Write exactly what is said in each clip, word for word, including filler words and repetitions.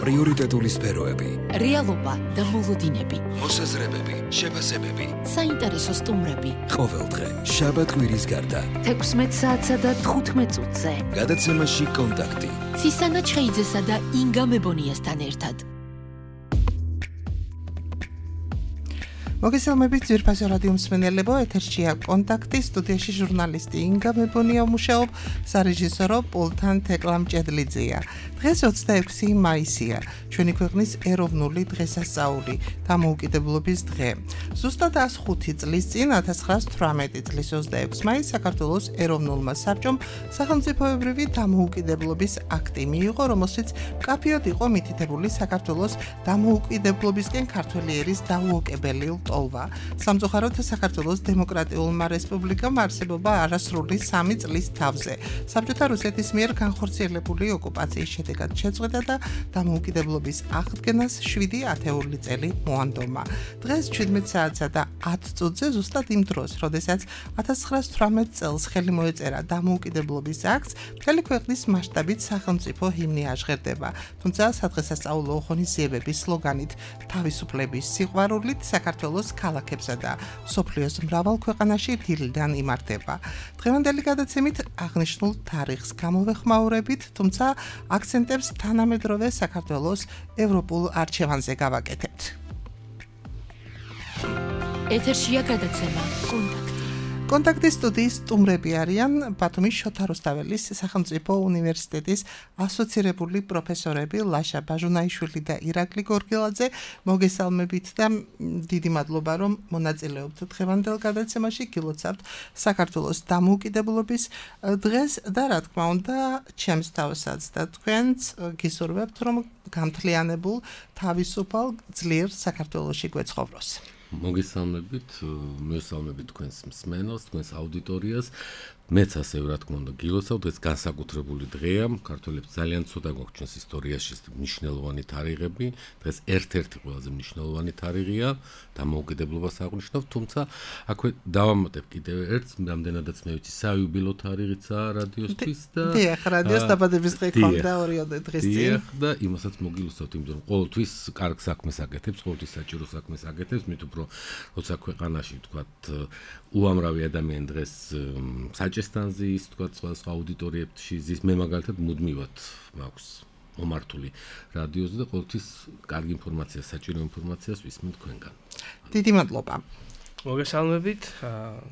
პრიორიტეტული სფეროები, რეალობა და მოლოდინები, მოსაზრებები, შეფასებები, საინტერესო სტუმრები. ყოველდღე შაბათ-კვირის გარდა თექვსმეტ საათსა და თხუთმეტ წუთზე. გადაცემაში კონტაქტი. ცისანა ჩხეიძესა და ინგა მებონიასთან ერთად. მოგესალმებით ძვირფასო რადიო მსმენელებო, ეთერშია კონტაქტი, სტუდიაში ჟურნალისტი ინგა მებონია მუშაობ, სარეჟისორო პულტთან თეკლა მჭედლიძეა. დღეს ოცდაექვსი მაისია, ჩვენი ქვეყნის ეროვნული დღესასწაული, დამოუკიდებლობის დღე. ზუსტად ას ხუთი წლის წინ, ათას ცხრაას თვრამეტი წლის ოცდაექვსი მაისს საქართველოს ეროვნულმა საბჭომ სახელმწიფოებრივი დამოუკიდებლობის აქტი მიიღო, რომელშიც მკაფიოდ იყო მითითებული საქართველოს დამოუკიდებლობისკენ ქართველი ერის დაუოკებელი ტოლვა. სამწუხაროდ საქართველოს დემოკრატიულმა რესპუბლიკამ არსებობა არასრული სამი წლის თავზე. საბჭოთა რუსეთის მიერ განხორციელებული ოკუპაციის შედეგად შეწყვეტა და დამოუკიდებლობის აღდგენას შვიდი ათეული წელი მოანდომა. დღეს ჩვიდმეტ საათსა და ათ წუთზე ზუსტად იმ დროს, როდესაც ათას ცხრაას თვრამეტ წელს ხელი მოეწერა დამოუკიდებლობის აქტს, მთელი ქვეყნის მასშტაბით სახელმწიფო ჰიმნი აჟღერდება. თუმცა სადღესასწაულო ღონისძიებების სლოგანით თავისუფლების სიყვარულით საქართველოს ქალაქებსა და მსოფლიოს მრავალ ქვეყანაში დილიდან იმართება. დღევანდელი გადაცემით აღნიშნულ თარიღს გამოვეხმაურებით, თუმცა აქცენტებს თანამედროვე საქართველოს ევროპულ არჩევანზე გავაკეთებთ. ეთერშია გადაცემა კონტაქტი. კონტაქტის სტუდიის სტუმრები არიან ბათუმის შოთა რუსთაველის სახელმწიფო უნივერსიტეტის ასოცირებული პროფესორები ლაშა ბაჟუნაიშვილი და ირაკლი გორგილაძე. მოგესალმებით და დიდი მადლობა, რომ მონაწილეობთ დღევანდელ გადაცემაში. გილოცავთ საქართველოს დამოუკიდებლობის დღეს და რა თქმა უნდა, ჩემს თავსაც და თქვენც გისურვებთ, რომ გამთლიანებულ თავისუფალ ძლიერ საქართველოში გვეცხოვროს. მოგესალმებით, მოგესალმებით თქვენს მსმენელს, თქვენს აუდიტორიას. მეც ასე რა თქმა უნდა გილოცავ, დღეს განსაკუთრებული დღეა, ქართველებს ძალიან ცოტა გვაქვს ისტორიაში მნიშვნელოვანი თარიღები, დღეს ერთ-ერთი ყველაზე მნიშვნელოვანი თარიღია, დამოუკიდებლობას აღნიშნავ, თუმცა აქვე დავამატებ კიდევ ერთს, რამდენადაც მე ვიცი, საიუბილო თარიღიცაა რადიოსთვის და დიახ, რადიოს დაბადების დღე ქონდა ორიოდე დღის წინ. დიახ, და იმასაც მოგილოცავთ, იმიტომ რომ ყოველთვის კარგ საქმეს აკეთებს, ყოველთვის საჭირო საქმეს აკეთებს, მით უფრო როცა ქვეყანაში ვთქვათ უამრავი ადამიანი დღეს საჭესთან ზის, თქვა სხვა აუდიტორიებში ზის, მე მაგალითად მუდმივად მაქვს მომართული რადიოზე და ყოველთვის კარგი ინფორმაცია, საჭირო ინფორმაციას ვისმენთ თქვენგან. დიდი მადლობა. მოგესალმებით,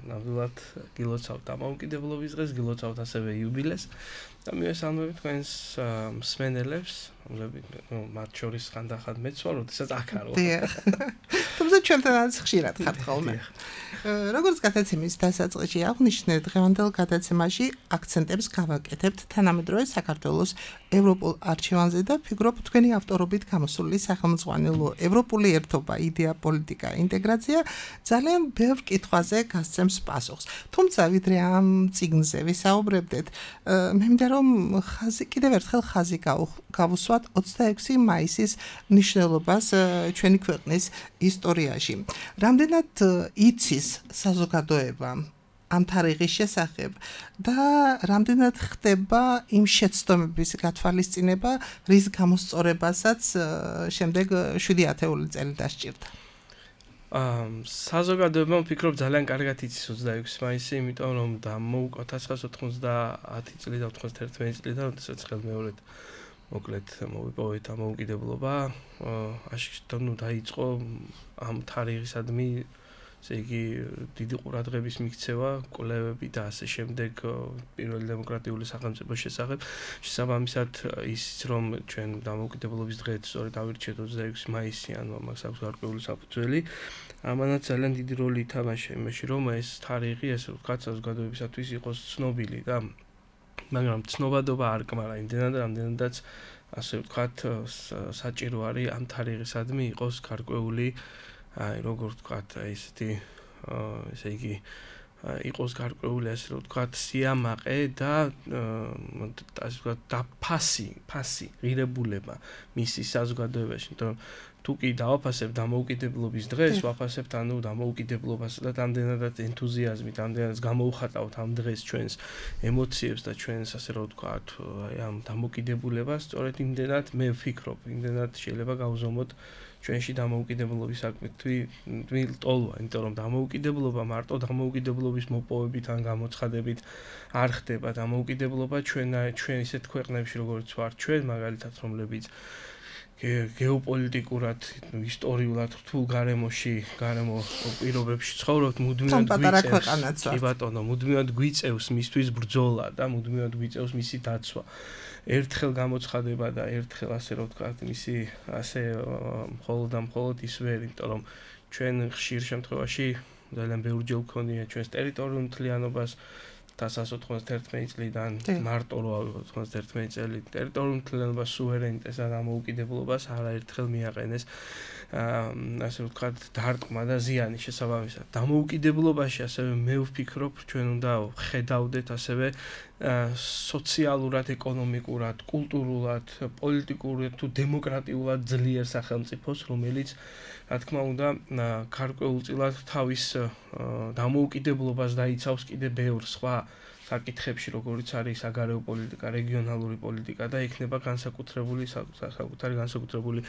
ნამდვილად გილოცავთ დამოუკიდებლობის დღეს, გილოცავთ ასევე იუბილეს და მივესალმებით თქვენს მსმენელებს, რომლებიც მათ შორის ხანდახან მეც ვარ, როდესაც აქ არ ვარ. დიახ. თუმცა ჩვენთანაც ხშირად ხართ ხოლმე. როგორც გადაცემის დასაწყისში აღნიშნე, დღევანდელ გადაცემაში აქცენტებს გავაკეთებთ თანამედროვე საქართველოს ევროპულ არჩევანზე და ფიქრობ თქვენი ავტორობით გამოსული სახელმძღვანელო ევროპული ერთობა, იდეა, პოლიტიკა, ინტეგრაცია ძალიან ბევრ კითხვაზე გასცემს პასუხს. თუმცა ვიდრე ამ წიგნზე ვისაუბრებდეთ, მე მინდა რომ ხაზი კიდევ ერთხელ ხაზი გავუსვათ ოცდაექვსი მაისის მნიშვნელობას ჩვენი ქვეყნის ისტორიაში. რამდენად იცის საზოგადოება ამ თარიღის შესახებ და რამდენად ხდება იმ შეცდომების გათვალისწინება, რის გამოსწორებასაც შემდეგ შვიდი ათეული წელი დასჭირდა. საზოგადოება ვფიქრობ ძალიან კარგად იცის ოცდაექვსი მაისი, იმიტომ რომ ათას ცხრაას ოთხმოცდაათი წლიდან ოთხმოცდაერთმეტი წლიდან, როდესაც ხელმეორედ მოკლედ მოვიპოვეთ დამოუკიდებლობა, აშკარად ნუ დაიწყო ამ თარიღისადმი, ესე იგი დიდი ყურადღების მიქცევა, კვლევები და ასე შემდეგ პირველი დემოკრატიული სახელმწიფოს შესახებ. შესაბამისად ისიც რომ ჩვენ დამოუკიდებლობის დღეს სწორედ ავირჩიეთ ოცდაექვსი მაისი, ანუ ამას აქვს გარკვეული საფუძველი. ამანაც ძალიან დიდი როლი ითამაშა იმაში, რომ ეს თარიღი, ესე ვთქვათ, საზოგადოებისათვის იყოს ცნობილი და მაგრამ ცნობადობა არ კმარა იმდენად, რამდენადაც ასე ვთქვათ, საჭირო არის ამ თარიღისადმი იყოს გარკვეული, აი როგორ ვთქვათ, ესეთი ესე იგი იყოს გარკვეული ასე ვთქვათ სიამაყე და ასე ვთქვათ და ფასი, ფასი, ღირებულება მისი საზოგადოებაში, იმიტომ რომ თუ კი დავაფასებ დამოუკიდებლობის დღეს, ვაფასებთ ანუ დამოუკიდებლობას და ამდენადაც ენთუზიაზმით, ამდენადაც გამოუხატავთ ამ დღეს ჩვენს ემოციებს და ჩვენს ასე რომ ვთქვათ, აი ამ დამოუკიდებლობას, სწორედ იმდენად მე ვფიქრობ, იმდენად შეიძლება გავზომოთ ჩვენში დამოუკიდებლობის საკუთრი ტოლვა, იმიტომ რომ დამოუკიდებლობა მარტო დამოუკიდებლობის მოპოვებით ან გამოცხადებით არ ხდება. დამოუკიდებლობა ჩვენ ჩვენ ისეთ ქვეყნებში, როგორც ვართ ჩვენ, მაგალითად, რომლებიც გეოპოლიტიკურად, ისტორიულად რთულ გარემოში, გარემო პირობებში ცხოვრობთ, მუდმივად გვიწევს. კი ბატონო, მუდმივად გვიწევს მისთვის ბრძოლა და მუდმივად გვიწევს მისი დაცვა. ერთხელ გამოცხადება და ერთხელ ასე რომ ვთქვათ, მისი ასე მხოლოდ და მხოლოდ ის ვერ, იმიტომ რომ ჩვენ ხშირ შემთხვევაში ძალიან ბევრჯერ ვქონია ჩვენს ტერიტორიულ მთლიანობას ათას ოცდაათი წლიდან მარტო რო ოცდაათი წელი ტერიტორიულ მთლიანობას, სუვერენიტეტს და დამოუკიდებლობას არაერთხელ მიაყენეს ასე ვთქვათ დარტყმა და ზიანი შესაბამისად. დამოუკიდებლობაში ასევე მე ვფიქრობ, ჩვენ უნდა ხედავდეთ ასევე სოციალურად, ეკონომიკურად, კულტურულად, პოლიტიკურად თუ დემოკრატიულად ძლიერ სახელმწიფოს, რომელიც რა თქმა უნდა გარკვეულწილად თავის დამოუკიდებლობას დაიცავს კიდე ბევრ სხვა საკითხებში, როგორიც არის საგარეო პოლიტიკა, რეგიონალური პოლიტიკა და იქნება განსაკუთრებული საკუთარი განსაკუთრებული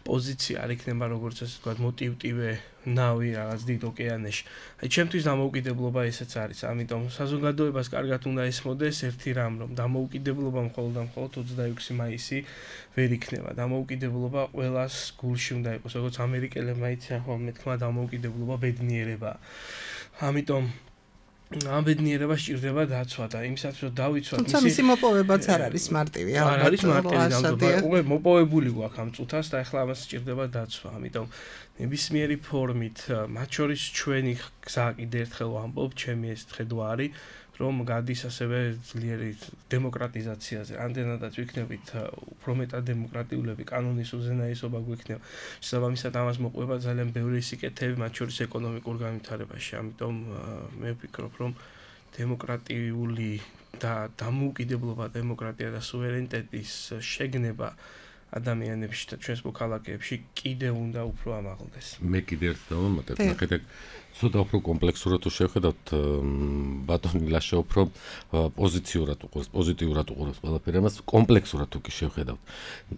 პოზიცია, არ იქნება როგორც ასე ვთქვათ, მოტივტივე ნავი რაღაც დიდ ოკეანეში. აი ჩემთვის დამოუკიდებლობა ესეც არის. ამიტომ საზოგადოებას კარგად უნდა ესმოდეს ერთი რამ, რომ დამოუკიდებლობა მხოლოდ და მხოლოდ ოცდაექვსი მაისი ვერ იქნება. დამოუკიდებლობა ყველას გულში უნდა იყოს, როგორც ამერიკელებმა იციან ხოლმე მეთქმა დამოუკიდებლობა ბედნიერება. ამიტომ ამ ბედნიერებას სჭირდება დაცვა და იმისათვის რომ დავიცვათ თუმცა მისი მოპოვებაც არ არის მარტივი. არ არის მარტივი ნამდვილად. უკვე მოპოვებული გვაქვს ამ წუთას და ახლა ამას სჭირდება დაცვა. ამიტომ ნებისმიერი ფორმით, მათ შორის ჩვენი გზა კიდე ერთხელ ვამბობ, ჩემი ეს ხედვა არის, რომ გადის ასევე ძლიერი დემოკრატიზაციაზე. ამდენადაც ვიქნებით უფრო მეტად დემოკრატიულები, კანონის უზენაესობა გვექნება. შესაბამისად ამას მოყვება ძალიან ბევრი სიკეთეები, მათ შორის ეკონომიკურ განვითარებაში. ამიტომ მე ვფიქრობ, რომ დემოკრატიული და დამოუკიდებლობა, დემოკრატია და სუვერენიტეტის შეგნება ადამიანებში და ჩვენს მოქალაქეებში კიდე უნდა უფრო ამაღლდეს. მე კიდე ერთ დავამატებ, ნახეთ, ცოტა უფრო კომპლექსურად თუ შევხედავთ, ბატონი ლაშა უფრო პოზიციურად უყურებს, პოზიტიურად უყურებს ყველაფერს, ამას კომპლექსურად თუ კი შევხედავთ.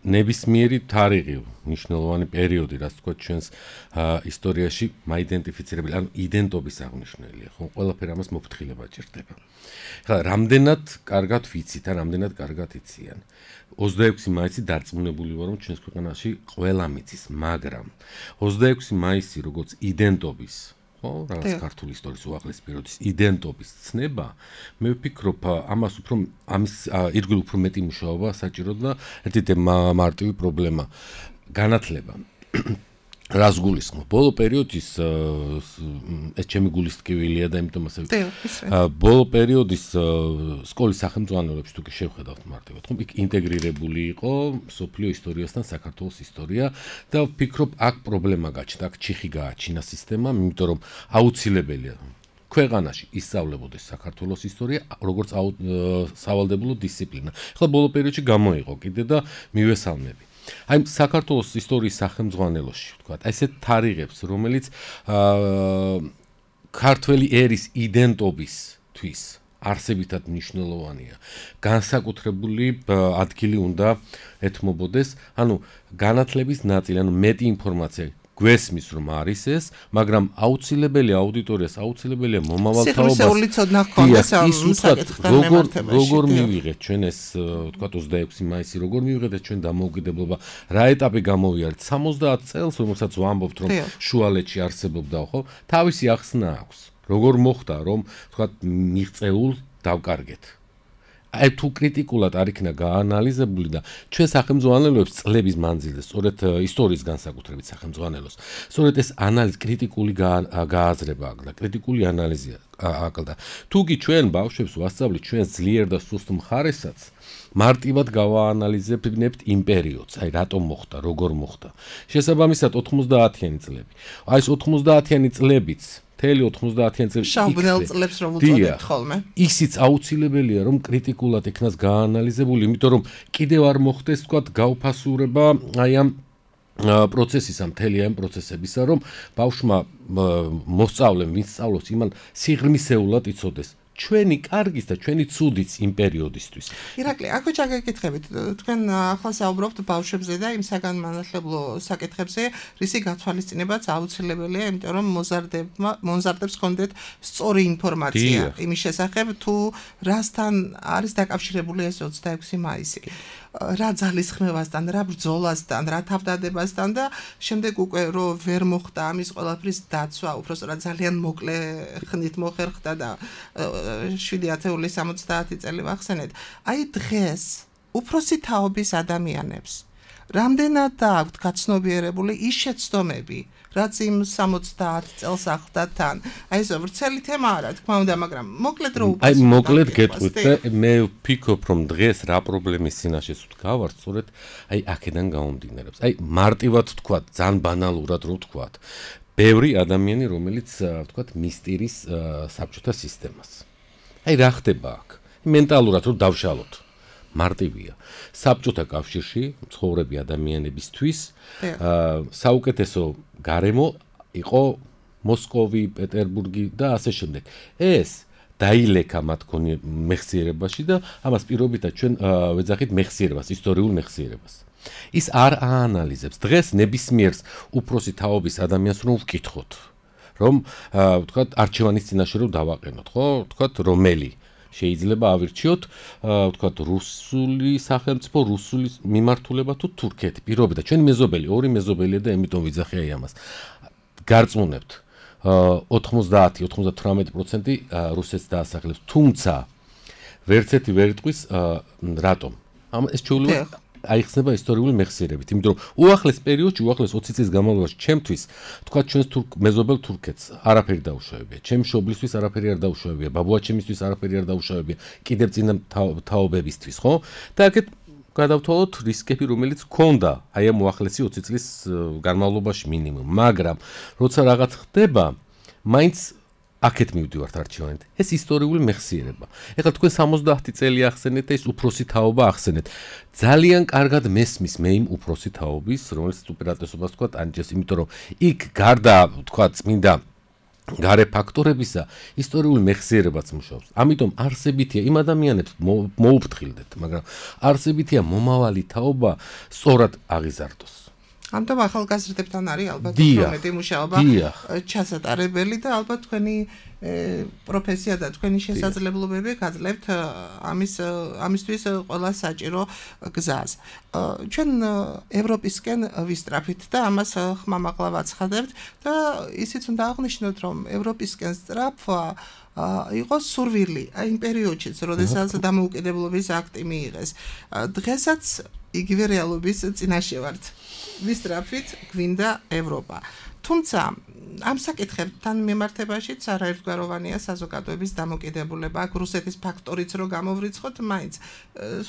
ნებისმიერი თარიღი, მნიშვნელოვანი პერიოდი, რაც თქვა ჩვენს ისტორიაში მაიდენტიფიცირებელი, ანუ იდენტობის აღნიშნულია, ხო? ყველაფერი ამას მოფრთხილება ჭირდება. ხა, რამდენად კარგად ვიცით, ან რამდენად კარგად იციან. ოცდაექვსი მაისი დარწმუნებული ვარ, რომ ჩვენს ქვეყანაში ყველა მიცის, მაგრამ ოცდაექვსი მაისი როგორც იდენტობის, ხო, რაღაც ქართული ისტორიის უახლეს პერიოდის იდენტობის ცნება, მე ვფიქრობ, ამას უფრო ამის ირგვლივ უფრო მეტი მუშაობა საჭირო და ერთი მარტივი პრობლემა განათლება. რას გულისხმობ? ბოლო პერიოდის ეს ჩემი გულის ტკივილია და იმიტომ ასე ბოლო პერიოდის სკოლის სახელმძღვანელოებში თუ კი შევხედავთ მარტივად, ხო, იქ ინტეგრირებული იყო სოფლიო ისტორიასთან საქართველოს ისტორია და ვფიქრობ, აქ პრობლემა გაჩნდა, აქ ჩიხი გააჩინა სისტემამ, იმიტომ რომ აუცილებელია ქვეყანაში ისწავლებოდეს საქართველოს ისტორია როგორც სავალდებულო დისციპლინა. ახლა ბოლო პერიოდში გამოიყო კიდე და მივესალმები. აი საქართველოს ისტორიის სახელმძღვანელოში ვთქვათ, აი ესეთ თარიღებს, რომელიც ქართველი ერის იდენტობისთვის არსებითად მნიშვნელოვანია. განსაკუთრებული ადგილი უნდა ეთმობოდეს, ანუ განათლების ნაწილი, ანუ მეტი ინფორმაცია გვესმის რომ არის ეს, მაგრამ აუცილებელია აუდიტორიას, აუცილებელია მომავალთაობას. როგორ როგორ მივიღეთ ჩვენ ეს ვთქვათ ოცდაექვსი მაისი, როგორ მივიღეთ ჩვენ დამოუკიდებლობა, რა ეტაპი გამოვიარეთ სამოცდაათ წელს, რომელსაც ვამბობთ რომ შუალედში არსებობდა, ხო? თავისი ახსნა აქვს. როგორ მოხდა რომ ვთქვათ მიღწეულ დავკარგეთ. აი თუ კრიტიკულად არ იქნა გაანალიზებული და ჩვენ სახელმძღვანელოებს წლების მანძილზე, სწორედ ისტორიის განსაკუთრებით სახელმძღვანელოს, სწორედ ეს ანალიზი კრიტიკული გააზრება აკლდა, კრიტიკული ანალიზი აკლდა. თუ კი ჩვენ ბავშვებს ვასწავლით ჩვენ ძლიერ და სუსტ მხარესაც, მარტივად გავაანალიზებთ იმ პერიოდს, აი რატომ მოხდა, როგორ მოხდა. შესაბამისად ოთხმოცდაათიანი წლები. აი ეს ოთხმოცდაათიანი წლებიც თელი ოთხმოცდაათიანი წლები შავბნელ წლებს რომ უწოდებთ ხოლმე. ისიც აუცილებელია რომ კრიტიკულად იქნას გაანალიზებული, იმიტომ რომ კიდევ არ მოხდეს თქვათ გაუფასურება აი ამ პროცესისა, მთელი ამ პროცესებისა, რომ ბავშვმა მოსწავლემ, ვინც სწავლობს, იმან სიღრმისეულად იცოდეს ჩვენი კარგის და ჩვენი ცუდიც იმ პერიოდისთვის. ირაკლი, აქვე ჩაგეკითხებით, თქვენ ახლა საუბრობთ ბავშვებზე და იმ საგანმანათლებლო საკითხებზე, რისი გათვალისწინებაც აუცილებელია, იმიტომ რომ მოზარდებმა, მოზარდებს ჰქონდეთ სწორი ინფორმაცია იმის შესახებ, თუ რასთან არის დაკავშირებული ეს ოცდაექვსი მაისი. რა ძალისხმევასთან, რა ბრძოლასთან, რა თავდადებასთან და შემდეგ უკვე რო ვერ მოხდა ამის ყველაფრის დაცვა, უბრალოდ ძალიან მოკლე ხნით მოხერხდა და შვიდი ათეული სამოცდაათი წელი ვახსენეთ. აი დღეს უფროსი თაობის ადამიანებს რამდენად აქვთ გაცნობიერებული ის შეცდომები, რაც იმ სამოცდაათ წელს ახლდა თან. აი ეს ვრცელი თემა არა, თქმა უნდა, მაგრამ მოკლედ რო აი მოკლედ გეტყვით და მე ვფიქრობ, რომ დღეს რა პრობლემის წინაშე ვდგავართ, სწორედ აი აქედან გამომდინარეობს. აი მარტივად ვთქვათ, ძალიან ბანალურად რო ვთქვათ, ბევრი ადამიანი, რომელიც ვთქვათ, მისტირის საბჭოთა სისტემას. აი რა ხდება აქ? მენტალურად რო დავშალოთ. მარტივია. საბჭოთა კავშირში მცხოვრები ადამიანებისთვის საუკეთესო გარემო იყო მოსკოვი, პეტერბურგი და ასე შემდეგ. ეს დაილექა მათ ქონი მეხსიერებაში და ამას პირობითად ჩვენ ვეძახით მეხსიერებას, ისტორიულ მეხსიერებას. ის არ აანალიზებს. დღეს ნებისმიერს უფროსი თაობის ადამიანს რომ ვკითხოთ, რომ ვთქვათ, არჩევანის წინაშე რომ დავაყენოთ, ხო? ვთქვათ, რომელი შეიძლება ავირჩიოთ, ვთქვათ, რუსული სახელმწიფო, რუსული მიმართულება თუ თურქეთი. პირობითად ჩვენი მეზობელი, ორი მეზობელია და ამიტომ ვიძახი აი ამას. გარწმუნებთ, ოთხმოცდაათი ოცდათვრამეტი პროცენტი რუსეთს დაასახლებს, თუმცა ვერც ერთი ვერ იტყვის რატომ. ამ ეს ჩვეულება აიხსნება ისტორიული მეხსიერებით, იმიტომ რომ უახლეს პერიოდში, უახლეს ოცი წლის განმავლობაში ჩემთვის, თქვა ჩვენს თურქ მეზობელ თურქეთს არაფერი დაუშავებია, ჩემს მშობლისთვის არაფერი არ დაუშავებია, ბაბუაჩემისთვის არაფერი არ დაუშავებია, კიდევ წინა თაობებისთვის, ხო? და აქეთ გადავთვალოთ რისკები, რომელიც ჰქონდა აი ამ უახლესი ოცი წლის განმავლობაში მინიმუმ, მაგრამ როცა რაღაც ხდება, მაინც აქეთ მივდივართ არჩევანით. ეს ისტორიული მეხსიერება. ეხლა თქვენ სამოცდაათი წელი ახსენეთ და ეს უფროსი თაობა ახსენეთ. ძალიან კარგად მესმის მე იმ უფროსი თაობის, რომელიც უპირატესობას თქვა ანჯეს, იმიტომ რომ იქ გარდა თქვა წმინდა გარე ფაქტორებისა ისტორიული მეხსიერებაც მუშაობს. ამიტომ არსებითია იმ ადამიანებს მოუფრთხილდეთ, მაგრამ არსებითია მომავალი თაობა სწორად აღიზარდოს. ამიტომ ახალგაზრდებთან არის ალბათ უმეტი მუშაობა ჩასატარებელი და ალბათ თქვენი პროფესია და თქვენი შესაძლებლობები გაძლევთ ამის ამისთვის ყველა საჭირო გზას. ჩვენ ევროპისკენ ვისწრაფით და ამას ხმამაღლა ვაცხადებთ და ისიც უნდა აღვნიშნოთ, რომ ევროპისკენ სწრაფვა იყო სურვილი აი იმ პერიოდშიც, როდესაც დამოუკიდებლობის აქტი მიიღეს. დღესაც იგივე რეალობის წინაშე ვართ. ვისწრაფით გვინდა ევროპა. თუმცა ამ საკითხებთან მიმართებაშიც არაერთგვაროვანია საზოგადოების დამოკიდებულება. აქ რუსეთის ფაქტორიც რო გამოვრიცხოთ, მაინც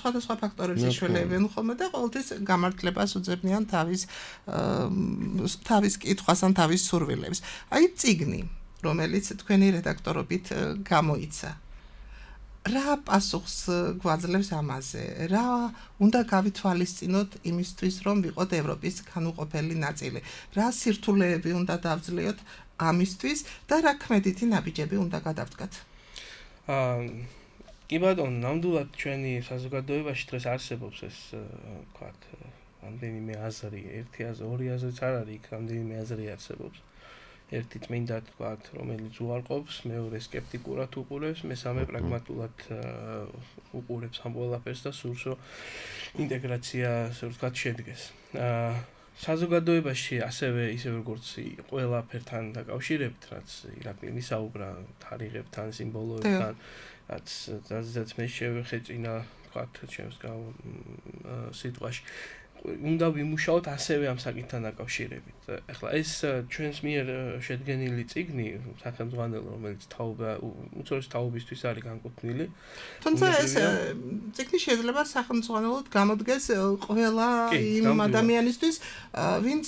სხვადასხვა ფაქტორებს იშველებენ ხოლმე და ყოველთვის გამართლებას უძებნიან თავის თავის კითხვას ან თავის სურვილებს. აი წიგნი, რომელიც თქვენი რედაქტორობით გამოიცა. რა პასუხს გვაძლევს ამაზე? რა უნდა გავითვალისწინოთ იმისთვის, რომ ვიყოთ ევროპის განუყოფელი ნაწილი? რა სირთულეები უნდა დავძლიოთ ამისთვის და რა ქმედითი ნაბიჯები უნდა გადავდგათ? აა კი ბატონო, ნამდვილად ჩვენი საზოგადოებაში დღეს არსებობს ეს, ვთქვათ, რამდენიმე აზრი, ერთი აზრი, ორი აზრიც არ არის, იქ რამდენიმე აზრი არსებობს. ერთი წმინდა თქვათ, რომელიც უარყოფს, მეორე სკეპტიკურად უყურებს, მესამე პრაგმატულად უყურებს ამ ყველაფერს და სურს რომ ინტეგრაცია, ასე ვთქვათ, შედგეს. საზოგადოებაში ასევე ისე როგორც ყველაფერთან დაკავშირებით, რაც ირაკლი მისაუბრა თარიღებთან, სიმბოლოებთან, რაც რაზეც მე შევეხეწინა, ვთქვათ, ჩემს სიტყვაში. უნდა ვიმუშაოთ ასევე ამ საკითხთან დაკავშირებით. ეხლა ეს ჩვენს მიერ შედგენილი წიგნი, სახელმძღვანელო, რომელიც თაობა, უწოდეს თაობისთვის არის განკუთვნილი. თუმცა ეს წიგნი შეიძლება სახელმძღვანელოდ გამოდგეს ყველა იმ ადამიანისთვის, ვინც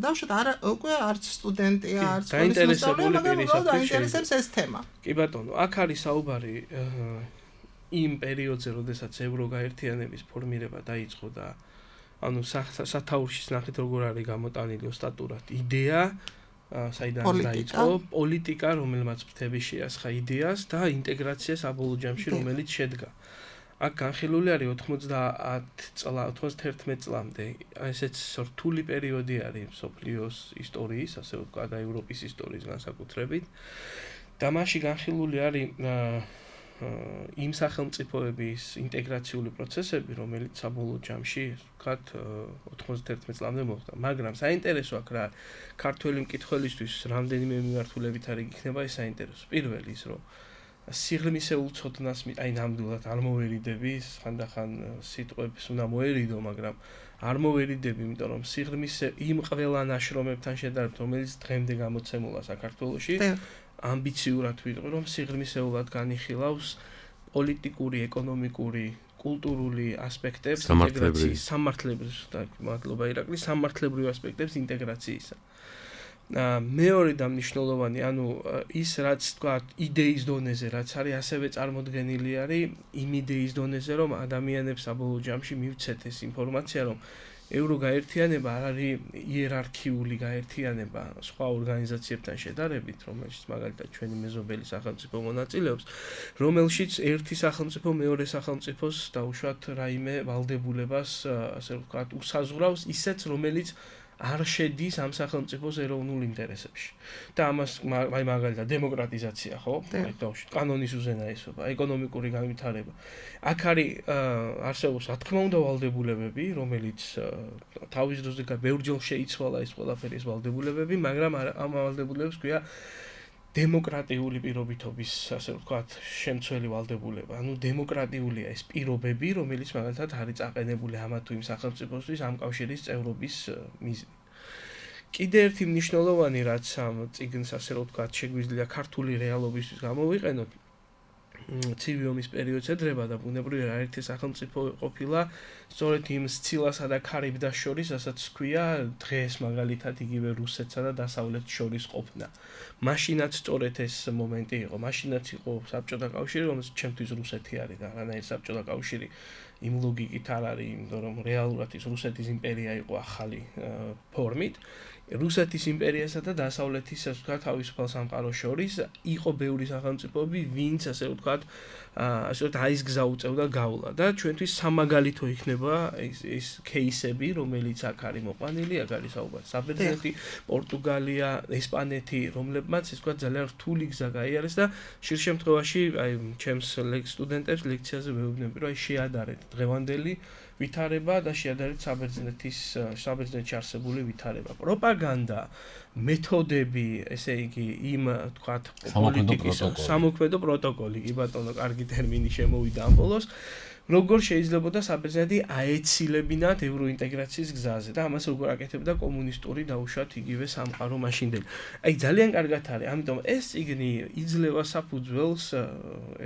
დავუშვათ, არა უკვე არც სტუდენტია, არც დაინტერესებული პირისათვის დაინტერესებს ეს თემა. კი ბატონო, აქ არის საუბარი იმ პერიოდზე, როდესაც ევროგაერთიანების ფორმირება დაიწყო და ანუ სათაურშიც ნახეთ როგორ არის გამოტანილი ოსტატურად იდეა საიდან დაიწყო პოლიტიკა რომელმაც ფრთები შეასხა იდეას და ინტეგრაცია საბოლოო ჯამში რომელიც შედგა აქ განხილული არის ოთხმოცდაათ წლა ოცდაათი წლამდე ესეც რთული პერიოდი არის მსოფლიოს ისტორიის ასე ვთქვათ და ევროპის ისტორიის განსაკუთრებით და მასში განხილული არის იმ სახელმწიფოების ინტეგრაციული პროცესები, რომელიც საბოლოო ჯამში, ვთქვათ, ოცდაათი წლამდე მოხდა. მაგრამ საინტერესო აქ რა ქართველი მკითხველისთვის რამდენიმე მიმართულებით არის იქნება ეს საინტერესო. პირველი ის, რომ სიღრმისეულ ცოდნას აი ნამდვილად არ მოვერიდები, ხანდახან სიტყვებს უნდა მოერიდო, მაგრამ არ მოვერიდები, იმიტომ რომ სიღრმისე იმ ყველა ნაშრომებთან შედარებით, რომელიც დღემდე გამოცემულა საქართველოში, ამბიციურად ვიტყვი, რომ სიღრმისეულად განიხილავს პოლიტიკური, ეკონომიკური, კულტურული ასპექტებს ინტეგრაციის, სამართლებრივ, მადლობა ირაკლი, სამართლებრივ ასპექტებს ინტეგრაციისა. მეორე და მნიშვნელოვანი, ანუ ის რაც თქვათ იდეის დონეზე, რაც არის ასევე წარმოდგენილი არის იმ იდეის დონეზე, რომ ადამიანებს საბოლოო ჯამში მივცეთ ეს ინფორმაცია, რომ ევროგაერთიანება არ არის იერარქიული გაერთიანება სხვა ორგანიზაციებთან შედარებით, რომელშიც მაგალითად ჩვენი მეზობელი სახელმწიფო მონაწილეობს, რომელშიც ერთი სახელმწიფო მეორე სახელმწიფოს დაუშვათ რაიმე ვალდებულებას, ასე ვთქვათ, უსაზღვრავს ისეც, რომელიც არ შედის ამ სახელმწიფოს ეროვნულ ინტერესებში. და ამას აი მაგალითად დემოკრატიზაცია, ხო? აი დავუშვით კანონის უზენაესობა, ეკონომიკური განვითარება. აქ არის არსებობს რა თქმა უნდა ვალდებულებები, რომელიც თავის დროზე ბევრჯერ შეიცვალა ეს ყველაფერი ეს ვალდებულებები, მაგრამ ამ ვალდებულებებს ქვია დემოკრატიული პირობითობის, ასე ვთქვათ, შემცველი ვალდებულება. ანუ დემოკრატიულია ეს პირობები, რომელიც მაგალითად არის წაყენებული ამა თუ იმ სახელმწიფოსთვის ამ კავშირის წევრობის მიზნით. კიდე ერთი მნიშვნელოვანი რაც ამ წიგნს ასე ვთქვათ, შეგვიძლია ქართული რეალობისთვის გამოვიყენოთ, ცივი ომის პერიოდს ედრება და ბუნებრივია ერთი სახელმწიფო ყოფილა სწორედ იმ სცილასა და ქარიბდას შორის, რასაც ქვია დღეს მაგალითად იგივე რუსეთსა და დასავლეთს შორის ყოფნა. მაშინაც სწორედ ეს მომენტი იყო. მაშინაც იყო საბჭოთა კავშირი, რომელიც ჩემთვის რუსეთი არის და რანაირ საბჭოთა კავშირი იმ ლოგიკით არ არის, იმიტომ რომ რეალურად ის რუსეთის იმპერია იყო ახალი ფორმით. რუსეთის იმპერიასა და დასავლეთის, ასე ვთქვათ, თავისუფალ სამყაროს შორის იყო ბევრი სახელმწიფოები, ვინც ასე ვთქვათ, ასე ვთქვათ, აის გზა უწევდა გავლა და ჩვენთვის სამაგალითო იქნება ეს ეს кейსები, რომელიც აქ არის მოყვანილი, აქ არის საუბარი საბერძნეთი, პორტუგალია, ესპანეთი, რომლებმაც ეს ვთქვათ ძალიან რთული გზა გაიარეს და ხშირ შემთხვევაში აი ჩემს სტუდენტებს ლექციაზე ვეუბნები, რომ აი შეადარეთ დღევანდელი ვითარება და შეადარეთ საბერძნეთის საბერძნეთში არსებული ვითარება. პროპაგანდა, მეთოდები, ესე იგი, იმ თქვათ პოლიტიკის სამოქმედო პროტოკოლი, კი ბატონო, კარგი ტერმინი შემოვიდა ამ ბოლოს. როგორ შეიძლებოდა საბერძნეთი აეცილებინათ ევროინტეგრაციის გზაზე და ამას როგორ აკეთებდა კომუნისტური დაუშვათ იგივე სამყარო მაშინდელი. აი ძალიან კარგად არის, ამიტომ ეს წიგნი იძლევა საფუძველს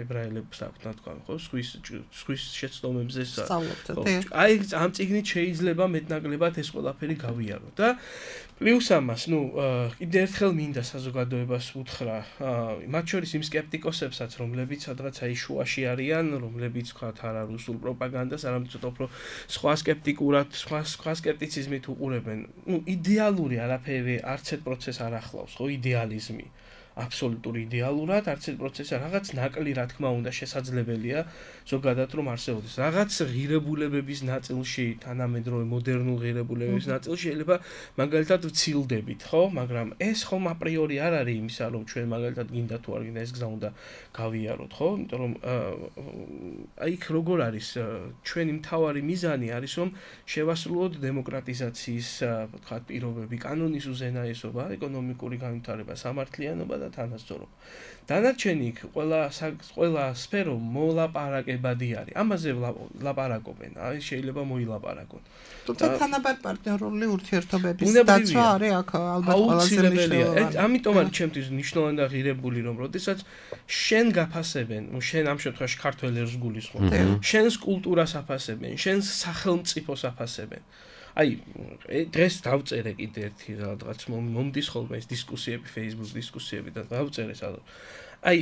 ებრაელებს აქვთ თქვა, ხო, სხვის სხვის შეცდომებზე. აი ამ წიგნით შეიძლება მეტნაკლებად ეს ყველაფერი გავიარო და პლუს ამას, ნუ კიდე ერთხელ მინდა საზოგადოებას უთხრა, მათ შორის იმ სკეპტიკოსებსაც, რომლებიც სადღაც აი შუაში არიან, რომლებიც თქვათ არა რუსულ პროპაგანდას, არამედ ცოტა უფრო სხვა სკეპტიკურად, სხვა სხვა სკეპტიციზმით უყურებენ. ნუ იდეალური არაფერი არც ერთ პროცესს არ ახლავს, ხო, იდეალიზმი. აბსოლუტური იდეალურად არც ერთ პროცესი რაღაც ნაკლი რა თქმა უნდა შესაძლებელია ზოგადად რომ არსებობდეს რაღაც ღირებულებების ნაწილში თანამედროვე მოდერნულ ღირებულებების ნაწილში შეიძლება მაგალითად ვცილდებით ხო მაგრამ ეს ხომ აპრიორი არ არის იმისა რომ ჩვენ მაგალითად გინდა თუ არ გინდა ეს გზა უნდა გავიაროთ ხო იმიტომ რომ აი იქ როგორ არის ჩვენი მთავარი მიზანი არის რომ შევასრულოთ დემოკრატიზაციის ვთქვათ პირობები კანონის უზენაესობა ეკონომიკური განვითარება სამართლიანობა და თანასწორობა. დანარჩენი იქ ყველა ყველა სფერო მოლაპარაკებადი არის. ამაზე ლაპარაკობენ. აი შეიძლება მოილაპარაკონ. თუმცა თანაბარ პარტნიორული ურთიერთობების დაცვა არის აქ ალბათ ყველაზე მნიშვნელოვანი. ამიტომ არის ჩემთვის მნიშვნელოვანი და ღირებული რომ როდესაც შენ გაფასებენ, შენ ამ შემთხვევაში ქართველებს გულისხმობ. შენს კულტურას აფასებენ, შენს სახელმწიფოს აფასებენ. აი დღეს დავწერე კიდე ერთი რაღაც მომდის ხოლმე ეს დისკუსიები Facebook დისკუსიები და დავწერე სადღაც. აი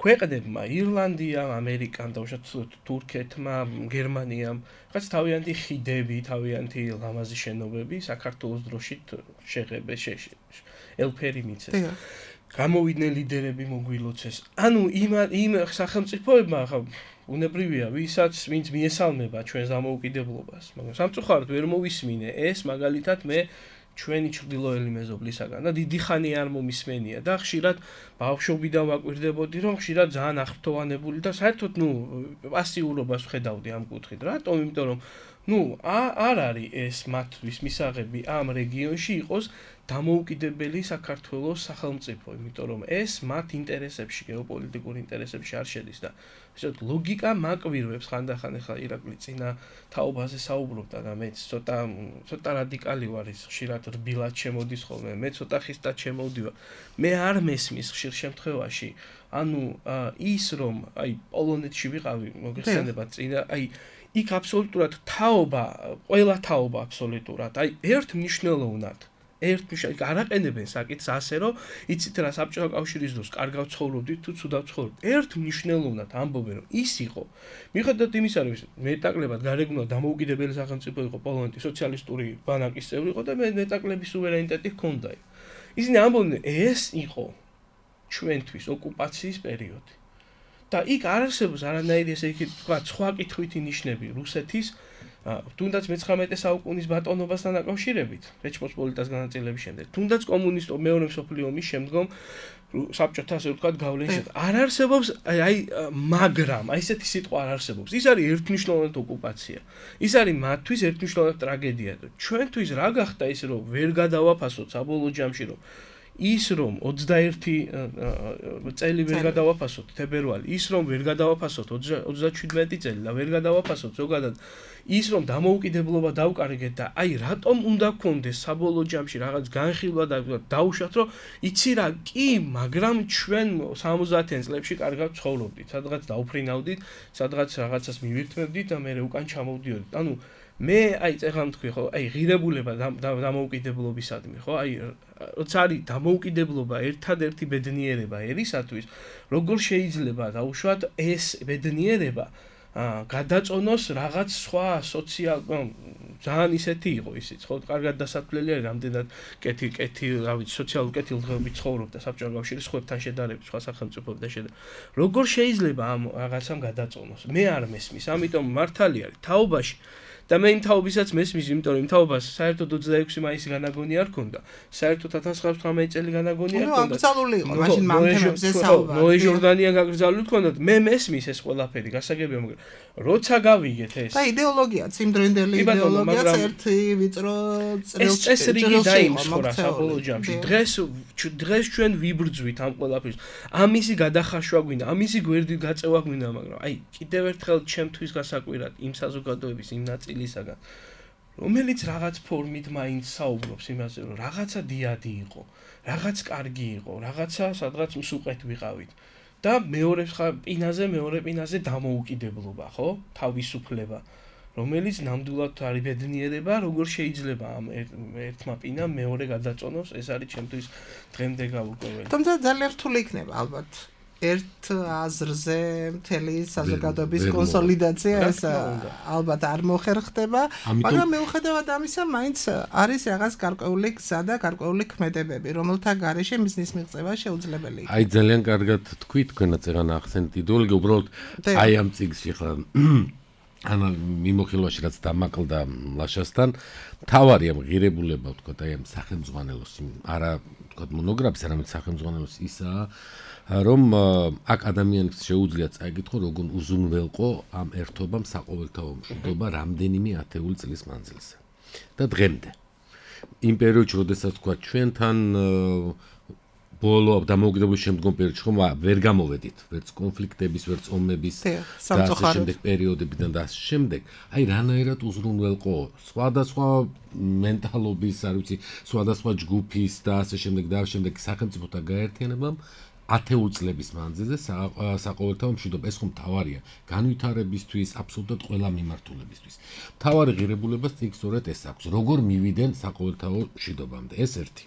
ქვეყნებმა, ირლანდიამ, ამერიკამ, დაუშვათ თურქეთმა, გერმანიამ, რაც თავიანთი ხიდები, თავიანთი ლამაზი შენობები საქართველოს დროშით შეღებეს, ელფერი მიცეს. გამოვიდნენ ლიდერები მოგვილოცეს. ანუ იმ იმ სახელმწიფოებმა ხა უნებრივია, ვისაც ვინც მიესალმება ჩვენს დამოუკიდებლობას, მაგრამ სამწუხაროდ ვერ მოვისმინე ეს მაგალითად მე ჩვენი ჩრდილოელი მეზობლისაგან და დიდი ხანი არ მომისმენია და ხშირად ბავშვობიდან ვაკვირდებოდი რომ ხშირად ძალიან აღფრთოვანებული და საერთოდ ნუ პასიურობას ვხედავდი ამ კუთხით. რატომ? იმიტომ რომ ნუ არ არის ეს მათთვის მისაღები ამ რეგიონში იყოს დამოუკიდებელი საქართველოს სახელმწიფო, იმიტომ რომ ეს მათ ინტერესებში, გეოპოლიტიკურ ინტერესებში არ შედის და ესეთ ლოგიკა მაკვირვებს ხანდახან ახლა ირაკლი წინა თაობაზე საუბრობდა და მეც ცოტა ცოტა რადიკალი ვარ, ის ხშირად რბილად შემოდის ხოლმე, მე ცოტა ხისტად შემოვდივარ. მე არ მესმის ხშირ შემთხვევაში, ანუ ის რომ აი პოლონეთში ვიყავი, მოგეხსენება წინა, აი იქ აბსოლუტურად თაობა, ყველა თაობა აბსოლუტურად, აი ერთმნიშვნელოვნად ერთ მნიშვნელოვნად არაყენებენ საკითხს ასე რომ იცით რა საბჭოთა კავშირის დროს კარგავ ცხოვრობდით თუ ცუდავ ცხოვრობდით. ერთ მნიშვნელოვნად ამბობენ რომ ის იყო. მიუხედავად იმისა რომ მეტაკლებად გარეგნულად დამოუკიდებელი სახელმწიფო იყო პოლონეთი, სოციალისტური ბანაკის წევრი იყო და მე მეტაკლების სუვერენიტეტი ჰქონდა. ისინი ამბობენ ეს იყო ჩვენთვის ოკუპაციის პერიოდი. და იქ არ არსებობს არანაირი ესე იგი თქვა სხვა კითხვითი ნიშნები რუსეთის თუნდაც მეცხრამეტე საუკუნის ბატონობასთან დაკავშირებით, რეჩპოსპოლიტას განაწილების შემდეგ, თუნდაც კომუნისტურ მეორე მსოფლიო ომის შემდგომ საბჭოთა ასე ვთქვათ გავლენის შემდეგ. არ არსებობს აი მაგრამ, აი ესეთი სიტყვა არ არსებობს. ის არის ერთმნიშვნელოვნად ოკუპაცია. ის არის მათთვის ერთმნიშვნელოვნად ტრაგედია. ჩვენთვის რა გახდა ის რომ ვერ გადავაფასოთ საბოლოო ჯამში რომ ის რომ ოცდაერთი წელი ვერ გადავაფასოთ თებერვალი, ის რომ ვერ გადავაფასოთ ოცდაჩვიდმეტი წელი და ვერ გადავაფასოთ ზოგადად ის რომ დამოუკიდებლობა დავკარგეთ და აი რატომ უნდა გქონდეს საბოლოო ჯამში რაღაც განხილვა და დაუშვათ რომ იცი რა კი, მაგრამ ჩვენ სამოცდაათიან წლებში კარგად ცხოვრობდით, სადღაც დაუფრინავდით, სადღაც რაღაცას მივირთმევდით და მე უკან ჩამოვდიოდით. ანუ მე აი წეგან თქვი ხო, აი ღირებულება დამოუკიდებლობისადმი ხო, აი როცა არის დამოუკიდებლობა ერთადერთი ბედნიერება ერისათვის, როგორ შეიძლება დაუშვათ ეს ბედნიერება გადაწონოს რაღაც სხვა სოციალ ძალიან ისეთი იყო ისიც ხო, კარგად დასათვლელი არის რამდენად კეთი კეთი რა ვიცი სოციალურ კეთილდღეობით ცხოვრობდა საბჭოთა კავშირის სხვებთან შედარებით, სხვა სახელმწიფოებთან შედარებით. როგორ შეიძლება ამ რაღაცამ გადაწონოს? მე არ მესმის, ამიტომ მართალი არის თაობაში და მე იმ თაობისაც მესმის, იმიტომ რომ იმ თაობას საერთოდ ოცდაექვსი მაისი განაგონი არ ქონდა. საერთოდ ათას ცხრაათასი წელი განაგონი არ ქონდა. ნუ აბსოლუტური იყო, მაშინ მამთემებზე საუბარი. ნოე ჟორდანია გაგრძალული ქონდათ. მე მესმის ეს ყველაფერი, გასაგებია, მაგრამ როცა გავიგეთ ეს. და იდეოლოგიაც, იმდროინდელი იდეოლოგიაც ერთი ვიწრო წრილს წესრიგი დაიმსხვრა საბოლოო ჯამში. დღეს დღეს ჩვენ ვიბრძვით ამ ყველაფერს. ამისი გადახარშვა გვინდა, ამისი გვერდით გაწევა გვინდა, მაგრამ აი კიდევ ერთხელ ჩემთვის გასაკვირად იმ საზოგადოების იმ ნაწილისაგან, რომელიც რაღაც ფორმით მაინც საუბრობს იმაზე, რომ რაღაცა დიადი იყო, რაღაც კარგი იყო, რაღაცა სადღაც მსუყეთ ვიყავით. და მეორე პინაზე, მეორე პინაზე დამოუკიდებლობა, ხო? თავისუფლება, რომელიც ნამდვილად არის ბედნიერება, როგორ შეიძლება ამ ერთმა პინამ მეორე გადაწონოს, ეს არის ჩემთვის დღემდე გაურკვეველი. თუმცა ძალიან რთული იქნება ალბათ. ერთ აზრზე მთელი საზოგადოების კონსოლიდაცია ეს ალბათ არ მოხერხდება, მაგრამ მიუხედავად ამისა, მაინც არის რაღაც გარკვეული გზა და გარკვეული ქმედებები, რომელთა გარეშე მიზნის მიღწევა შეუძლებელი. აი ძალიან კარგად თქვი, თქვენაც ეგან ახსენეთ იდეოლოგია, უბრალოდ აი ამ წიგნში ხლა ანა მიმოხილვაში რაც დამაკლდა ლაშასთან, თავარი ამ ღირებულება ვთქვათ, აი ამ სახელმძღვანელოს, არა ვთქვათ მონოგრაფის, არამედ სახელმძღვანელოს ისაა, რომ აქ ადამიანს შეუძლია წაიგითხო, როგორ უზრუნველყო ამ ერთობამ საყოველთაო მშვიდობა რამდენიმე ათეული წლის მანძილზე. და დღემდე. იმ პერიოდში, როდესაც თქვა ჩვენთან ბოლო დამოუკიდებლობის შემდგომ პერიოდში ხომ ვერ გამოვედით, ვერც კონფლიქტების, ვერც ომების და ასე შემდეგ პერიოდებიდან და ასე შემდეგ, აი რანაირად უზრუნველყო სხვადასხვა მენტალობის, არ ვიცი, სხვადასხვა ჯგუფის და ასე შემდეგ და ასე შემდეგ სახელმწიფოთა გაერთიანებამ ათეული წლების მანძილზე საყოველთაო მშვიდობა, ეს ხომ მთავარია განვითარებისთვის, აბსოლუტურად ყველა მიმართულებისთვის. მთავარი ღირებულებას იქ სწორედ ეს აქვს, როგორ მივიდნენ საყოველთაო მშვიდობამდე, ეს ერთი.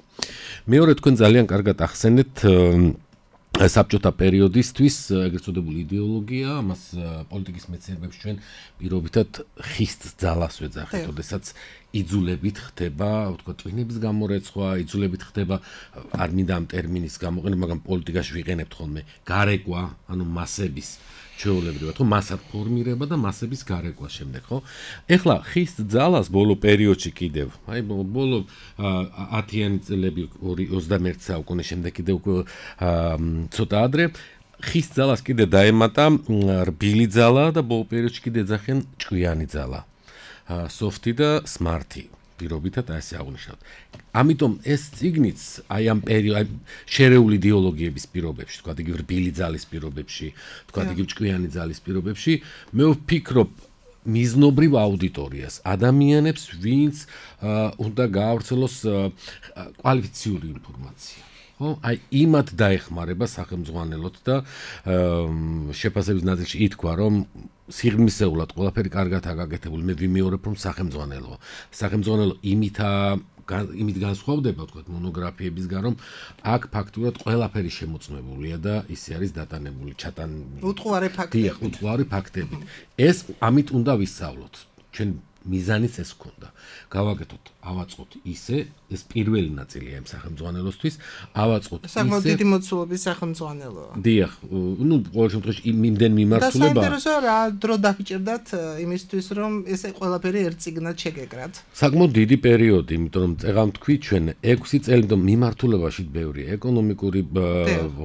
მეორე თქვენ ძალიან კარგად ახსენეთ საბჭოთა პერიოდისთვის ეგრეთ წოდებული იდეოლოგია, ამას პოლიტიკის მეცნიერებებში ჩვენ პირობითად ხისტ ძალას ვეძახით, როდესაც იძულებით ხდება, ვთქვა, ტვინების გამორეცხვა, იძულებით ხდება, არ მინდა ამ ტერმინის გამოყენება, მაგრამ პოლიტიკაში ვიყენებთ ხოლმე გარეკვა, ანუ მასების ჩვეულებრივად, ხო, მასად ფორმირება და მასების გარეკვა შემდეგ, ხო? ეხლა ხისტ ძალას ბოლო პერიოდში კიდევ, აი ბოლო ათიანი წლები ოცდამეერთე საუკუნის შემდეგ კიდევ ცოტა ადრე ხისტ ძალას კიდე დაემატა რბილი ძალა და ბოლო პერიოდში კიდე ეძახიან ჭკვიანი ძალა. სოფტი და სმარტი. პირობითად ასე აღნიშნავთ. ამიტომ ეს წიგნიც აი ამ პერიოდ შერეული იდეოლოგიების პირობებში, თქვა იგივე რბილი ძალის პირობებში, თქვა იგივე ჭკვიანი ძალის პირობებში, მე ვფიქრობ მიზნობრივ აუდიტორიას, ადამიანებს, ვინც უნდა გაავრცელოს კვალიფიციური ინფორმაცია. ხო, აი იმათ დაეხმარება სახელმძღვანელოთ და შეფასების ნაწილში ითქვა, რომ სიღრმისეულად ყველაფერი კარგად აგაკეთებული, მე ვიმეორებ, რომ სახელმძღვანელოა. სახელმძღვანელო იმითა იმით განსხვავდება, თქვა მონოგრაფიებისგან, რომ აქ ფაქტურად ყველაფერი შემოწმებულია და ისე არის დატანებული, ჩატან უტყუარი ფაქტები. უტყუარი ფაქტები. ეს ამით უნდა ვისწავლოთ. ჩვენ მიზანიც ეს ქონდა. გავაკეთოთ, ავაწყოთ ისე, ეს პირველი ნაწილია იმ სახელმძღვანელოსთვის, ავაწყოთ ისე. საკმაოდ დიდი მოცულობის სახელმძღვანელოა. დიახ, ну, ყოველ შემთხვევაში იმდენ მიმართულება. და საინტერესო რა დრო დაგჭირდათ იმისთვის, რომ ესე ყველაფერი ერთ წიგნად შეგეკრათ. საკმაოდ დიდი პერიოდი, იმიტომ რომ წეღავ თქვი ჩვენ ექვსი წელი, იმიტომ მიმართულებაში ბევრი ეკონომიკური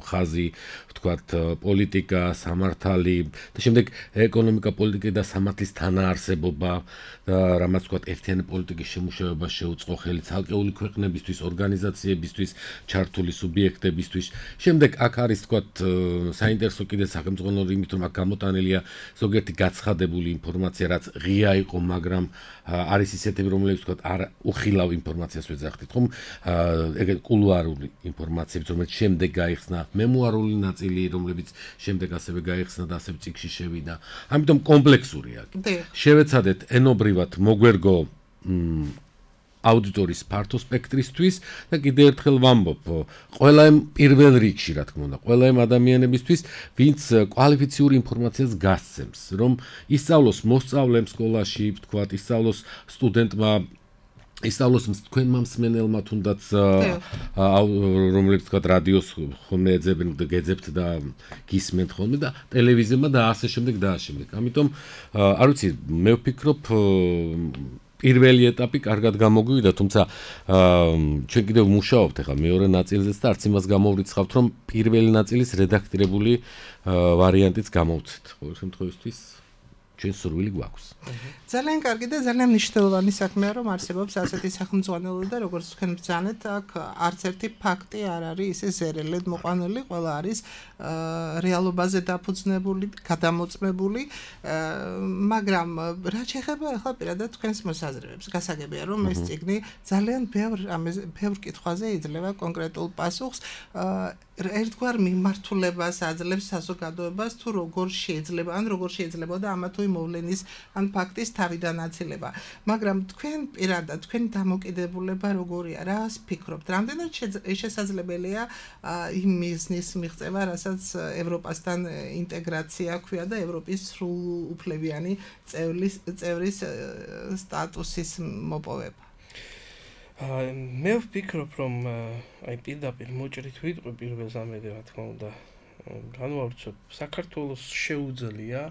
ხაზი, ვთქვათ, პოლიტიკა, სამართალი და შემდეგ ეკონომიკა, პოლიტიკა და სამართლის თანაარსებობა და რამაც ვთქვათ, ერთიანი პოლიტიკის შემუშავება შეუწყო ხელი ცალკეული ქვეყნებისთვის, ორგანიზაციებისთვის, ჩართული სუბიექტებისთვის. შემდეგ აქ არის ვთქვათ, საინტერესო კიდე სახელმძღვანელო იმით, რომ აქ გამოტანილია ზოგიერთი გაცხადებული ინფორმაცია, რაც ღია იყო, მაგრამ არის ისეთები, რომლებიც ვთქვათ, არ უხილავ ინფორმაციას ვეძახდით, ხომ? ეგეთ კულუარული ინფორმაციები, რომელიც შემდეგ გაიხსნა, მემუარული ნაწილი, რომლებიც შემდეგ ასევე გაიხსნა და ასევე წიგნში შევიდა. ამიტომ კომპლექსურია. შევეცადეთ ენობრივად მოგვერგო აუდიტორიის ფართო სპექტრისთვის და კიდევ ერთხელ ვამბობ, ყველა იმ პირველ რიგში, რა თქმა უნდა, ყველა იმ ადამიანებისთვის, ვინც კვალიფიციური ინფორმაციას გასცემს, რომ ისწავლოს მოსწავლემ სკოლაში, ვთქვათ, ისწავლოს სტუდენტმა, ისწავლოს თქვენმა მსმენელმა თუნდაც რომლებიც ვთქვათ, რადიოს ხოლმე ეძებენ და გეძებთ და გისმენთ ხოლმე და ტელევიზიებმა და ასე შემდეგ და ასე შემდეგ. ამიტომ არ ვიცი, მე ვფიქრობ პირველი ეტაპი კარგად გამოგვივიდა, თუმცა ჩვენ კიდევ მუშაობთ ახლა მეორე ნაწილზეც და არც იმას გამოვრიცხავთ, რომ პირველი ნაწილის რედაქტირებული ვარიანტიც გამოვცეთ. ყოველ შემთხვევაში ჩვენ სურვილი გვაქვს. ძალიან კარგი და ძალიან მნიშვნელოვანი საქმეა, რომ არსებობს ასეთი სახელმძღვანელო და როგორც თქვენ ბრძანეთ, აქ არც ერთი ფაქტი არ არის ისე ზერელედ მოყვანილი, ყველა არის რეალობაზე დაფუძნებული, გადამოწმებული, მაგრამ რა შეეხება ახლა პირადად თქვენს მოსაზრებებს, გასაგებია, რომ ეს წიგნი ძალიან ბევრ ბევრ კითხვაზე იძლევა კონკრეტულ პასუხს, ერთგვარ მიმართულებას აძლევს საზოგადოებას, თუ როგორ შეიძლება, ან როგორ შეიძლება და ამა თუ იმ მოვლენის ან ფაქტის თავიდან აცილება. მაგრამ თქვენ პირადად, თქვენი დამოკიდებულება როგორია, რას ფიქრობთ? რამდენად შესაძლებელია იმ მიზნის მიღწევა, რასაც ევროპასთან ინტეგრაცია ქვია და ევროპის სრულუფლებიანი წევრის წევრის სტატუსის მოპოვება? მე ვფიქრობ, რომ აი პირდაპირ მოჭრით ვიტყვი პირველ ზამედე, რა თქმა უნდა, განვავრცობ, საქართველოს შეუძლია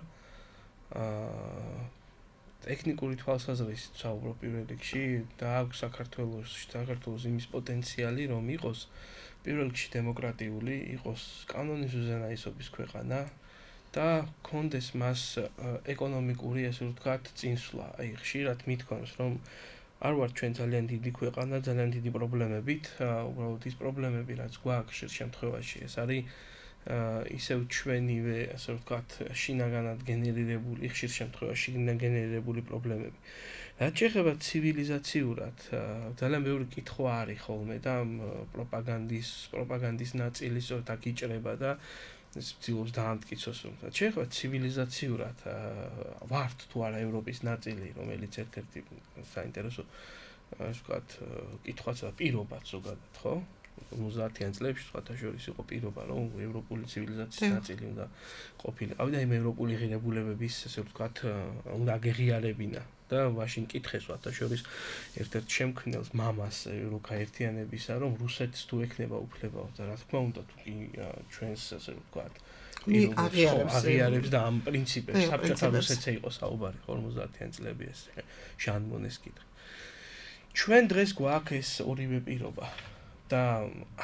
ტექნიკური თვალსაზრისით საუბრობ პირველ რიგში და აქვს საქართველოს საქართველოს იმის პოტენციალი, რომ იყოს პირველ რიგში დემოკრატიული, იყოს კანონის უზენაესობის ქვეყანა და კონდეს მას ეკონომიკური, ასე ვთქვათ, წინსვლა. აი ხშირად მithქვამს, რომ არ ვარ ჩვენ ძალიან დიდი ქვეყანა, ძალიან დიდი პრობლემებით, უბრალოდ ის პრობლემები, რაც გვაქვს ხშირ შემთხვევაში, ეს არის ისევ ჩვენივე, ასე ვთქვათ, შინაგანად გენერირებული, ხშირ შემთხვევაში შიგნიდან გენერირებული პრობლემები. რაც შეეხება ცივილიზაციურად, ძალიან ბევრი კითხვა არის ხოლმე და პროპაგანდის, პროპაგანდის ნაწილი სწორედ აქ იჭრება და ეს ცდილობს დაამტკიცოს, რომ რაც შეეხება ცივილიზაციურად, ვართ თუ არა ევროპის ნაწილი, რომელიც ერთ-ერთი საინტერესო, ასე ვთქვათ, კითხვაც და პირობაც ზოგადად, ხო? ოცდაათიან წლებში სხვათა შორის იყო პირობა, რომ ევროპული ცივილიზაციის ნაწილი უნდა ყოფილიყავი და იმ ევროპული ღირებულებების, ასე ვთქვათ, უნდა აღიარებინა. და მაშინ კითხეს სხვათა შორის ერთ-ერთ შემქმნელს მამას ევროკაერთიანებისა, რომ რუსეთს თუ ექნება უფლება და რა თქმა უნდა თუ კი ჩვენს, ასე ვთქვათ, აღიარებს და ამ პრინციპებს საბჭოთა რუსეთზე იყო საუბარი ორმოცდაათიან წლები ეს ჟან მონეს კითხე. ჩვენ დღეს გვაქვს ეს ორივე პირობა და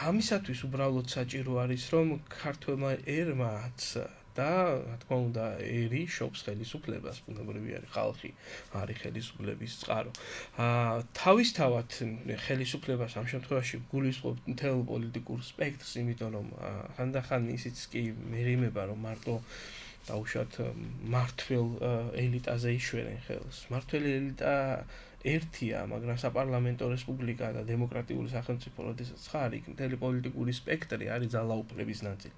ამისათვის უბრალოდ საჭირო არის რომ ქართველმა ერმაც და რა თქმა უნდა ერი შობს ხელისუფლებას, ბუნებრივი არის ხალხი არის ხელისუფლების წყარო. აა თავისთავად ხელისუფლებას ამ შემთხვევაში გულისხმობ მთელ პოლიტიკურ სპექტრს, იმიტომ რომ ხანდახან ისიც კი მერიმება რომ მარტო დაუშვათ მართლ ელიტაზე იშვერენ ხელს. მართლ ელიტა ერთია, მაგრამ საპარლამენტო რესპუბლიკა და დემოკრატიული სახელმწიფო როდესაც ხარ, იქ მთელი პოლიტიკური სპექტრი არის ძალაუფლების ნაწილი.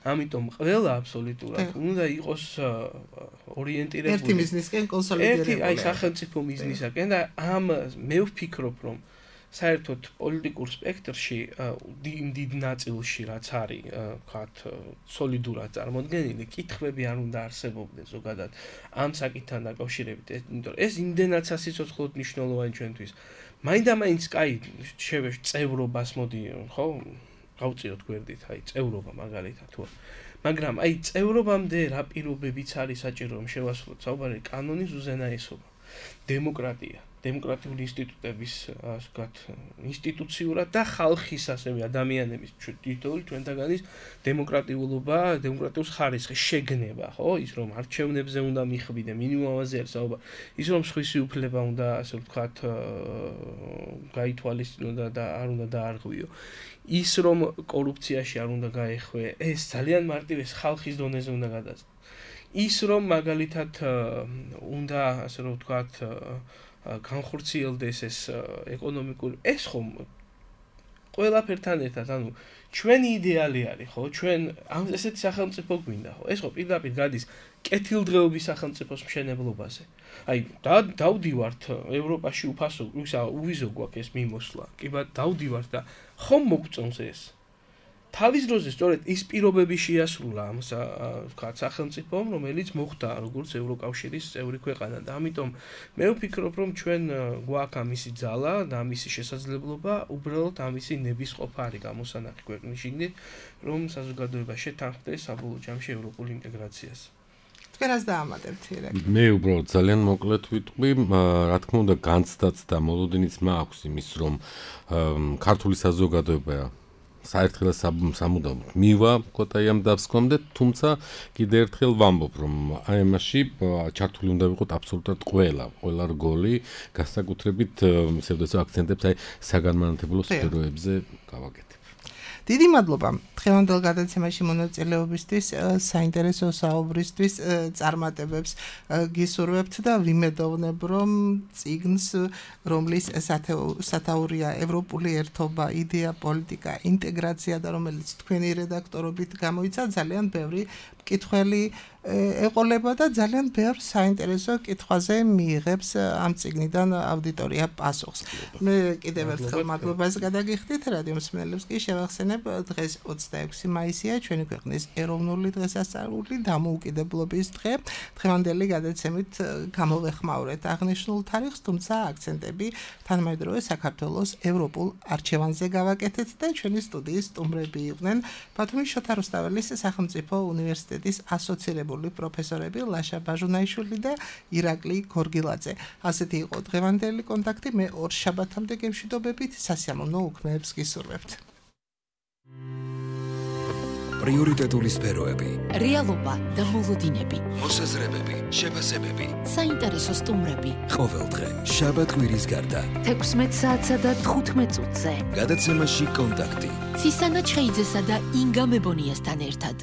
ამიტომ ყველა აბსოლუტურად უნდა იყოს ორიენტირებული ერთი მიზნისკენ კონსოლიდირებული. ერთი აი სახელმწიფო მიზნისაკენ და ამ მე ვფიქრობ რომ საერთოდ პოლიტიკურ სპექტრში დიდ ნაწილში რაც არის ვთქვათ სოლიდურად წარმოდგენილი კითხვები არ უნდა არსებობდეს ზოგადად ამ საკითხთან დაკავშირებით, იმიტომ რომ ეს იმდენად სასიცოცხლოდ მნიშვნელოვანი ჩვენთვის. მაინდა-მაინც კაი შევეშ წევრობას მოდი ხო გავწიოთ გვერდით, აი წევრობა მაგალითად თუ მაგრამ აი წევრობამდე რა პირობებიც არის საჭირო რომ შევასრულოთ საუბარი კანონის უზენაესობა, დემოკრატია, დემოკრატიული ინსტიტუტების ასე ვთქვათ ინსტიტუციურად და ხალხის ასევე ადამიანების თითოეული ჩვენთაგანის დემოკრატიულობა, დემოკრატიულ ხარისხის შეგნება, ხო, ის რომ არჩევნებზე უნდა მიხვიდე, მინიმუმ ამაზე არის საუბარი, ის რომ სხვისი უფლება უნდა ასე ვთქვათ გაითვალისწინო და არ უნდა დაარღვიო. ის რომ კორუფციაში არ უნდა გაეხვე, ეს ძალიან მარტივეს ხალხის დონეზე უნდა გადაწყდეს. ის რომ მაგალითად უნდა ასე რომ ვთქვათ განხორციელდეს ეს ეკონომიკური ეს ხომ ყველაფერთან ერთად, ანუ ჩვენი იდეალი არის, ხო? ჩვენ ამ ესეთი სახელმწიფო გვინდა, ხო? ეს ხო პირდაპირ გადის კეთილდღეობის სახელმწიფოს მშენებლობაზე. აი, დავდივართ ევროპაში უფასო, ისა უვიზო გვაქვს ეს მიმოსვლა. კი ბატონო, დავდივართ და ხომ მოგწონს ეს? თავის დროზე სწორედ ის პირობები შეასრულა ამ ვთქვათ სახელმწიფომ, რომელიც მოხდა როგორც ევროკავშირის წევრი ქვეყანა და ამიტომ მე ვფიქრობ, რომ ჩვენ გვაქვს ამისი ძალა და ამისი შესაძლებლობა, უბრალოდ ამისი ნებისყოფა არის გამოსანახი ქვეყნის შიგნით, რომ საზოგადოება შეთანხმდეს საბოლოო ჯამში ევროპულ ინტეგრაციას. თქვენას დაამატებთ ირაკ. მე უბრალოდ ძალიან მოკლედ ვიტყვი, რა თქმა უნდა განცდაც და მოლოდინიც მაქვს იმის, რომ ქართული საზოგადოება საერთოდ სამუდამოდ მივა კოტაი ამ დასკვნამდე, თუმცა კიდე ერთხელ ვამბობ, რომ აი ამაში ჩართული უნდა ვიყოთ აბსოლუტურად ყველა, ყველა რგოლი, განსაკუთრებით ისე ვთქვათ აქცენტებს აი საგანმანათლებლო სფეროებზე გავაკეთებ. დიდი მადლობა დღევანდელ გადაცემაში მონაწილეობისთვის, საინტერესო საუბრისთვის, წარმატებებს გისურვებთ და ვიმედოვნებ, რომ წიგნს, რომლის სათაურია ევროპული ერთობა, იდეა, პოლიტიკა, ინტეგრაცია და რომელიც თქვენი რედაქტორობით გამოიცა, ძალიან ბევრი მკითხველი ეყოლება და ძალიან ბევრ საინტერესო კითხვაზე მიიღებს ამ წიგნიდან აუდიტორია პასუხს. მე კიდევ ერთხელ მადლობას გადაგიხდით, რადიო მსმენელებს კი შევახსენებ, დღეს ოცდაექვსი მაისია, ჩვენი ქვეყნის ეროვნული დღესასწაული, დამოუკიდებლობის დღე. დღევანდელი გადაცემით გამოვეხმაურეთ აღნიშნულ თარიღს, თუმცა აქცენტები თანამედროვე საქართველოს ევროპულ არჩევანზე გავაკეთეთ და ჩვენი სტუდიის სტუმრები იყვნენ ბათუმის შოთა რუსთაველის სახელმწიფო უნივერსიტეტის ასოცირებული პროფესორები ლაშა ბაჟუნაიშვილი და ირაკლი გორგილაძე. ასეთი იყო დღევანდელი კონტაქტი, მე ორ შაბათამდე გემშვიდობებით, სასიამოვნო უქმეებს გისურვებთ. პრიორიტეტული სფეროები, რეალობა და მოლოდინები, მოსაზრებები, შეფასებები, საინტერესო სტუმრები. ყოველდღე შაბათ-კვირის გარდა თექვსმეტ საათსა და თხუთმეტ წუთზე. გადაცემაში კონტაქტი. ცისანა ჩხეიძესა და ინგა მებონიასთან ერთად.